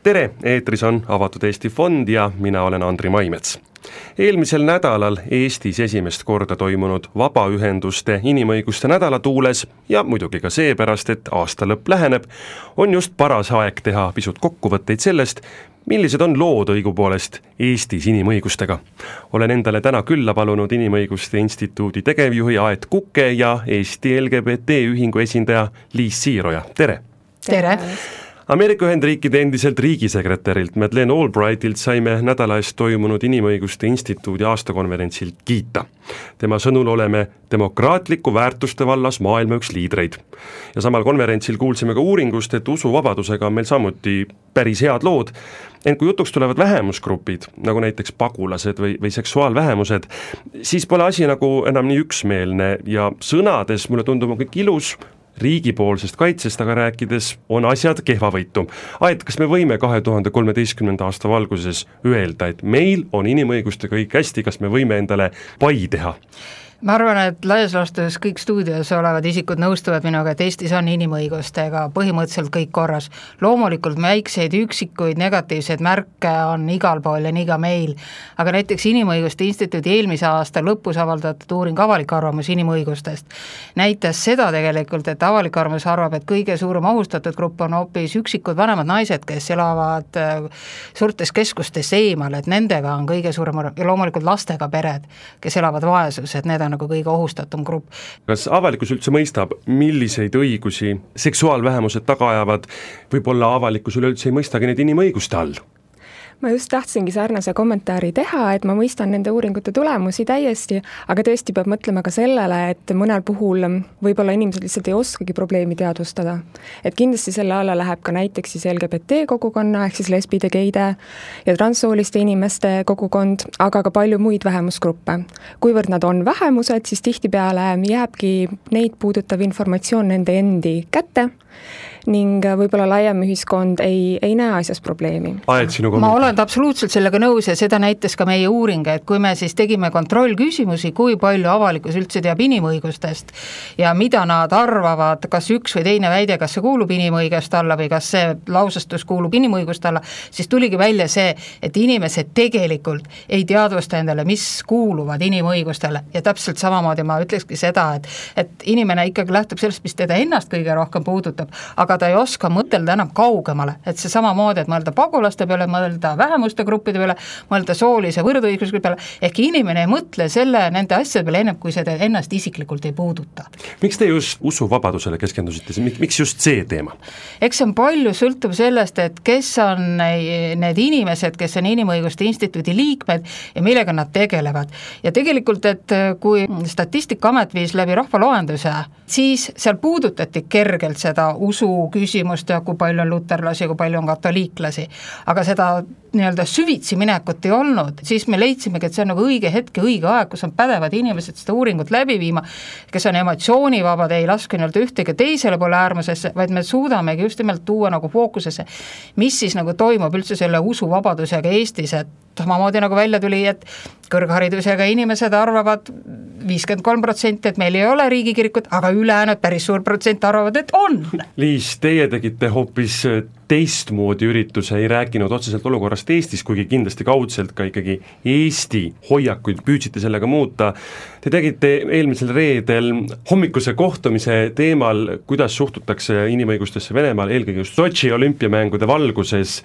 Tere, eetris on Avatud Eesti Fond ja mina olen Andri Maimets. Eelmisel nädalal Eestis esimest korda toimunud vabaühenduste inimõiguste nädala tuules ja muidugi ka seepärast, et aasta lõpp läheneb, on just paras aeg teha pisut kokkuvõtteid sellest, millised on lood õigupoolest Eestis inimõigustega. Olen endale täna külla palunud Inimõiguste Instituudi tegevjuhi Aet Kuke ja Eesti LGBT ühingu esindaja Liis Siiroja. Tere! Tere! Ameerika Ühendriikide endiselt riigisekretärilt Madeleine Albrightilt saime nädala eest toimunud Inimõiguste Instituudi aastakonverentsilt kiita. Tema sõnul oleme demokraatliku väärtuste vallas maailma üks liidreid. Ja samal konverentsil kuulsime ka uuringust, et usuvabadusega on meil samuti päris head lood. Ent kui jutuks tulevad vähemusgrupid, nagu näiteks pagulased või seksuaalvähemused, siis pole asi nagu enam nii üksmeelne ja sõnades mulle tundub on kõik ilus, riigipoolsest kaitsest, aga rääkides on asjad kehvavõitu. Aet, kas me võime 2013. aasta valguses öelda, et meil on inimõiguste kõik hästi, kas me võime endale pai teha? Ma arvan, et laias laastus kõik stuudios olevad isikud nõustuvad minuga, et Eestis on inimõigustega põhimõtteliselt kõik korras. Loomulikult väikseid üksikuid negatiivseid märke on igal pool ja nii ka meil, aga näiteks Inimõiguste Instituudi eelmise aasta lõpus avaldatud uuring avalik arvamus inimõigustest näitas seda tegelikult, et avalik arvamus arvab, et kõige suurem ohustatud grupp on hoopis üksikud vanemad naised, kes elavad suurtes keskustes eemal, et nendega on kõige suurem ja loomulikult lastega pered, kes elavad vaesus, et need on nagu kõige ohustatum grupp. Kas avalikkus üldse mõistab, milliseid õigusi seksuaalvähemused taga ajavad, võib-olla avalikkus üleüldse ei mõistagi neid inimõiguste all? Ma just tahtsingi sarnase kommentaari teha, et ma mõistan nende uuringute tulemusi täiesti, aga tõesti peab mõtlema ka sellele, et mõnel puhul võib-olla inimesed lihtsalt ei oskagi probleemi teadvustada. Et kindlasti selle alla läheb ka näiteks siis LGBT kogukonna, ehk siis lesbide, geide ja transsooliste inimeste kogukond, aga ka palju muid vähemusgruppe. Kuivõrd nad on vähemused, siis tihtipeale jääbki neid puudutav informatsioon nende endi kätte, ning võib-olla laiem ühiskond ei näe asjas probleemi. Ma olen absoluutselt sellega nõus ja seda näitas ka meie uuring, et kui me siis tegime kontrollküsimusi, kui palju avalikkus üldse teab inimõigustest ja mida nad arvavad, kas üks või teine väide, kas see kuulub inimõiguste alla või kas see lausestus kuulub inimõiguste alla, siis tuligi välja see, et inimesed tegelikult ei teadvusta endale, mis kuuluvad inimõigustele ja täpselt samamoodi ma ütlekski seda, et inimene ikkagi lähtub sellest, mis teda ennast kõige rohkem puudutab, aga ta ei oska mõtelda enam kaugemale, et see samamoodi, et mõelda pagulaste peale, mõelda vähemuste gruppide peale, mõelda soolise võrdõiguslikkuse peale, ehk inimene ei mõtle nende asjade peale ennem, kui seda ennast isiklikult ei puuduta. Miks te just usuvabadusele keskendusite? Miks just see teema? Eks see on palju sõltub sellest, et kes on need inimesed, kes on Inimõiguste Instituudi liikmed ja millega nad tegelevad. Ja tegelikult, et kui Statistikaamet viis läbi rahvaloenduse, siis seal puudutati kergelt seda usu küsimust ja kui palju on luterlasi, kui palju on katoliiklasi, aga seda nii-öelda süvitsi minekut ei olnud, siis me leidsimegi, et see on nagu õige hetk ja õige aeg, kus on pädevad inimesed seda uuringut läbi viima, kes on emotsioonivabad, ei laske nii-öelda ühtegi teisele poole äärmusesse, vaid me suudamegi just nimelt tuua nagu fookusesse, mis siis nagu toimub üldse selle usuvabadusega Eestis, et samamoodi nagu välja tuli, et kõrgharidusega inimesed arvavad 53%, et meil ei ole riigikirikut, aga ülejäänud päris suur protsent arvavad, et on. Liis, teie tegite hoopis teistmoodi ürituse, ei rääkinud otseselt olukorrast Eestis, kuigi kindlasti kaudselt ka ikkagi Eesti hoiakuid püüdsite sellega muuta. Te tegite eelmisel reedel hommikuse kohtumise teemal, kuidas suhtutakse inimõigustesse Venemaal, eelkõige just Sotši olümpiamängude valguses.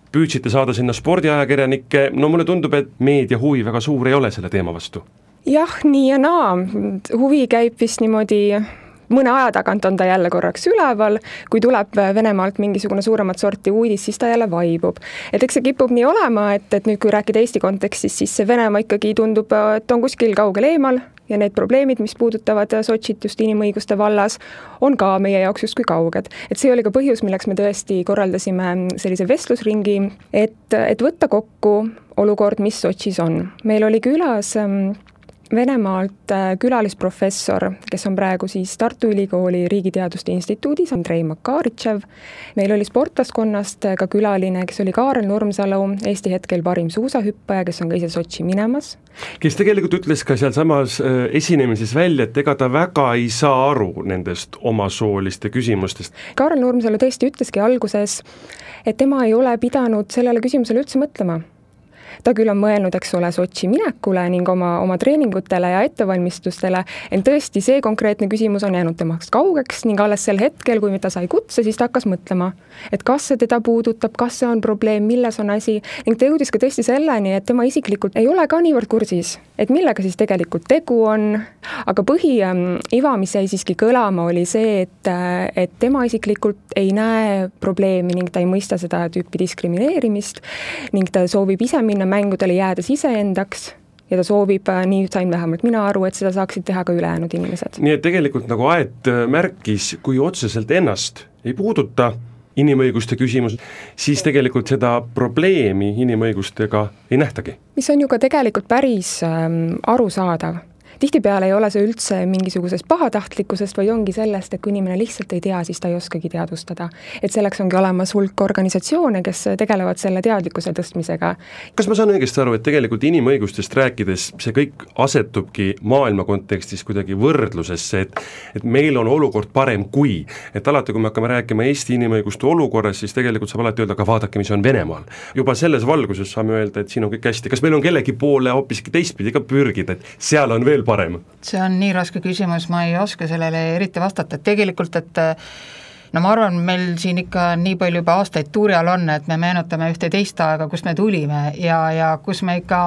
Püüdsite saada sinna spordiajakirjanikke, no mulle tundub, et meedia huvi väga suur ei ole selle teema vastu. Jah, nii ja naa. Huvi käib vist niimoodi, mõne aja tagant on ta jälle korraks üleval, kui tuleb Venemaalt mingisugune suuremat sorti uudis, siis ta jälle vaibub. Et eks see kipub nii olema, et nüüd kui rääkida Eesti kontekstis, siis see Venemaa ikkagi tundub, et on kuskil kaugel eemal ja need probleemid, mis puudutavad Sotšit just inimõiguste vallas, on ka meie jaoks justkui kauged. Et see oli ka põhjus, milleks me tõesti korraldasime sellise vestlusringi, et võtta kokku olukord, mis Sotšis on. Meil oli külas Venemaalt külalisprofessor, kes on praegu siis Tartu Ülikooli Riigiteaduste Instituudis, Andrei Makaritšev. Meil oli sportlaskonnast ka külaline, kes oli Kaarel Nurmsalu, Eesti hetkel parim suusahüppaja, kes on ka ise Sotši minemas. Kes tegelikult ütles ka seal samas esinemises välja, et ega ta väga ei saa aru nendest omasooliste küsimustest. Kaarel Nurmsalu tõesti ütleski alguses, et tema ei ole pidanud sellele küsimusele üldse mõtlema. Ta küll on mõelnud, eks ole, Sotši minekule ning oma treeningutele ja ettevalmistustele, ent tõesti see konkreetne küsimus on jäänud temaks kaugeks ning alles sel hetkel, kui ta sai kutse, siis ta hakkas mõtlema, et kas see teda puudutab, kas see on probleem, milles on asi ning ta jõudis ka tõesti selleni, et tema isiklikult ei ole ka niivõrd kursis, et millega siis tegelikult tegu on, aga põhiiva, mis jäi siiski kõlama, oli see, et tema isiklikult ei näe probleemi ning ta ei mõista seda tüüpi diskrimineerimist ning ta soovib ise minna mängudele jäädes iseendaks ja ta soovib, nii sain vähemalt mina aru, et seda saaksid teha ka ülejäänud inimesed. Nii et tegelikult nagu Aet märkis, kui otseselt ennast ei puuduta inimõiguste küsimus, siis tegelikult seda probleemi inimõigustega ei nähtagi. Mis on ju ka tegelikult päris arusaadav. Tihtipeale ei ole see üldse mingisugusest pahatahtlikkusest, vaid ongi sellest, et kui inimene lihtsalt ei tea, siis ta ei oskagi teadvustada. Et selleks ongi olemas hulk organisatsioone, kes tegelevad selle teadlikkuse tõstmisega. Kas ma saan õigesti aru, et tegelikult inimõigustest rääkides see kõik asetubki maailma kontekstis kuidagi võrdlusesse, et meil on olukord parem kui, et alati kui me hakkame rääkima Eesti inimõiguste olukorras, siis tegelikult saab alati öelda, aga vaadake, mis on Venemaal. Juba selles valguses saame öelda, et siin on kõik hästi. Kas meil on kellegi poole hoopiski teistpidi ka pürgida, et seal on veel parem? See on nii raske küsimus, ma ei oska sellele eriti vastata, et tegelikult, no ma arvan, meil siin ikka nii palju juba aastaid tuuri all on, et me meenutame ühte teist aega, kus me tulime ja kus me ikka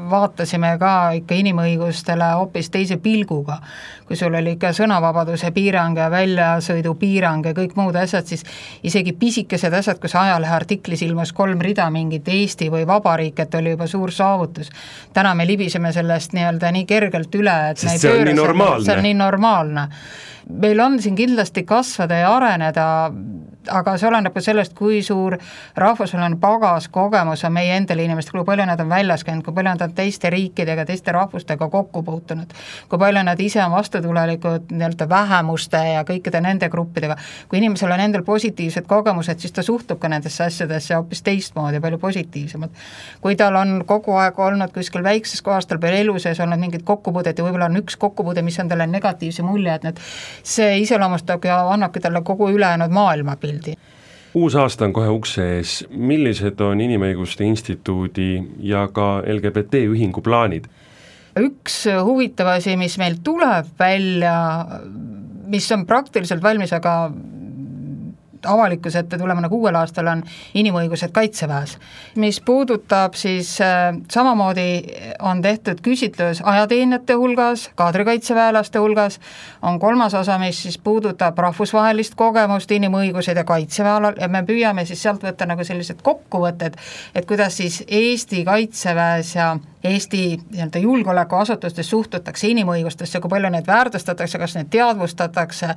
vaatasime ka ikka inimõigustele hoopis teise pilguga. Kui sul oli ikka sõnavabaduse piirang ja väljasõidu piirang ja kõik muud asjad, siis isegi pisikesed asjad, kus ajalehe artiklis ilmus 3 rida mingit Eesti või vabariik, et oli juba suur saavutus. Täna me libiseme sellest nii kergelt üle, et sest see on nii normaalne. Meil on siin kindlasti kasvada ja areneda, aga see oleneb ka sellest, kui suur rahvusvaheline pagas kogemus on meie endale inimestel, kui palju nad on väljas käinud, kui palju nad on teiste riikidega, teiste rahvustega kokku puutunud, kui palju nad ise on vastutulelikud vähemuste ja kõikide nende gruppidega. Kui inimesel on endal positiivsed kogemused, siis ta suhtub ka nendesse asjadesse hoopis teistmoodi, palju positiivsemad. Kui tal on kogu aeg olnud kuskil väikses kohas, tal peal elu sees olnud mingid kokkupuudet ja võib-olla on üks kokkupuude, mis on talle negatiivse mulje, et see iseloomustab ja annabki talle kogu ülejäänud maailmapildi. Uus aasta on kohe ukse ees. Millised on Inimõiguste Instituudi ja ka LGBT ühingu plaanid? Üks huvitav asi, mis meil tuleb välja, mis on praktiliselt valmis, aga avalikkuse ette tulema nagu uuel aastal on inimõigused kaitseväes. Mis puudutab siis samamoodi on tehtud küsitlus ajateenijate hulgas, kaadrikaitseväelaste hulgas, on 3. osa, mis siis puudutab rahvusvahelist kogemust, inimõigused ja kaitseväelal ja me püüame siis sealt võtta nagu sellised kokkuvõtted, et kuidas siis Eesti kaitseväes ja Eesti julgeolekuasutustes suhtutakse inimõigustesse, kui palju need väärtustatakse, kas need teadvustatakse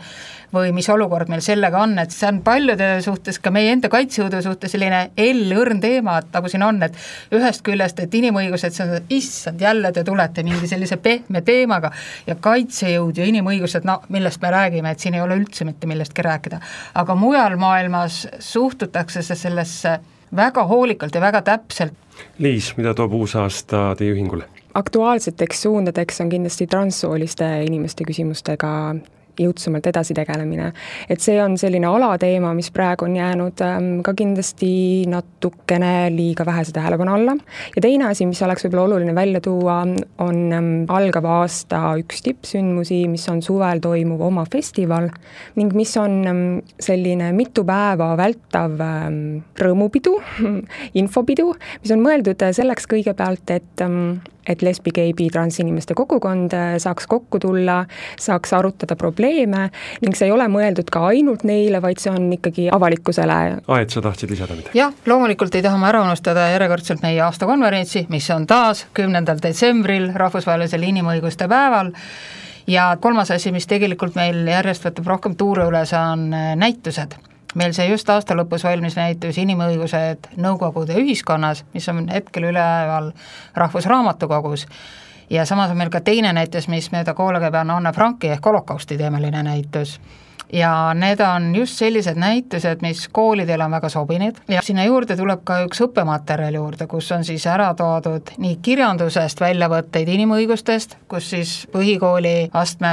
või mis olukord meil sellega on, et see on paljude suhtes, ka meie enda kaitsejõudu suhtes selline õrn teema, et nagu siin on, et ühest küljest, et inimõigused, see on issand, jälle te tulete mingi sellise pehme teemaga ja kaitsejõud ja inimõigused, no millest me räägime, et siin ei ole üldse mitte millestki rääkida, aga mujal maailmas suhtutakse sellesse väga hoolikalt ja väga täpselt. Liis, mida toob uus aasta teie ühingule? Aktuaalseteks suundadeks on kindlasti transsooliste inimeste küsimustega jõudsamalt edasi tegelemine. Et see on selline alateema, mis praegu on jäänud ka kindlasti natukene liiga vähese tähelepanu alla. Ja teine asi, mis oleks võib-olla oluline välja tuua, on algava aasta üks tippsündmusi, mis on suvel toimuv oma festival ning mis on selline mitu päeva vältav rõõmupidu, infopidu, mis on mõeldud selleks kõigepealt, et lesbi, geibi, transinimeste kogukond saaks kokku tulla, saaks arutada probleeme ning see ei ole mõeldud ka ainult neile, vaid see on ikkagi avalikkusele. Aet, sa tahtsid lisada midagi? Jah, loomulikult ei taha ma ära unustada järjekordselt meie aastakonverentsi, mis on taas 10. detsembril rahvusvahelisel inimõiguste päeval ja 3. asi, mis tegelikult meil järjest võtab rohkem tuure üles, on näitused. Meil see just aasta lõpus valmis näitus Inimõigused Nõukogude ühiskonnas, mis on hetkel üleval Rahvusraamatukogus ja samas on meil ka teine näitus, mis mööda koole käib, on Anne Franki ehk holokausti teemaline näitus. Ja need on just sellised näitused, mis koolidel on väga sobinud ja sinna juurde tuleb ka üks õppematerjal juurde, kus on siis ära toodud nii kirjandusest väljavõtteid inimõigustest, kus siis põhikooli astme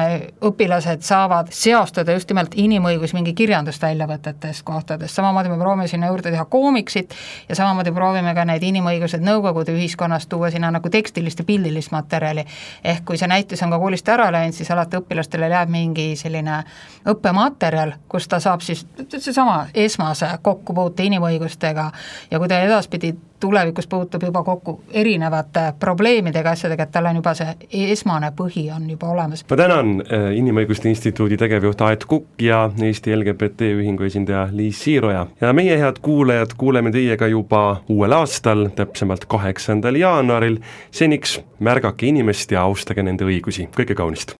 õpilased saavad seostada just nimelt inimõigus mingi kirjandust väljavõtetest kohtadest, samamoodi me proovime sinna juurde teha koomiksit ja samamoodi proovime ka need inimõigused nõukogude ühiskonnast tuua sinna nagu tekstilist ja pildilist materjali, ehk kui see näitus on ka koolist ära läinud, siis alati õpilastele jääb mingi selline õppematerjal, kus ta saab siis seesama esmase kokkupuute inimõigustega ja kui ta edaspidi tulevikus puutub juba kokku erinevate probleemidega, asjadega, et tal on juba see esmane põhi on juba olemas. Ma tänan Inimõiguste Instituudi tegevjuht Aet Kukk ja Eesti LGBT ühingu esindaja Liis Siiroja. Ja meie head kuulajad kuuleme teiega juba uuel aastal, täpsemalt 8. jaanuaril. Seniks märgake inimest ja austage nende õigusi. Kõike kaunist!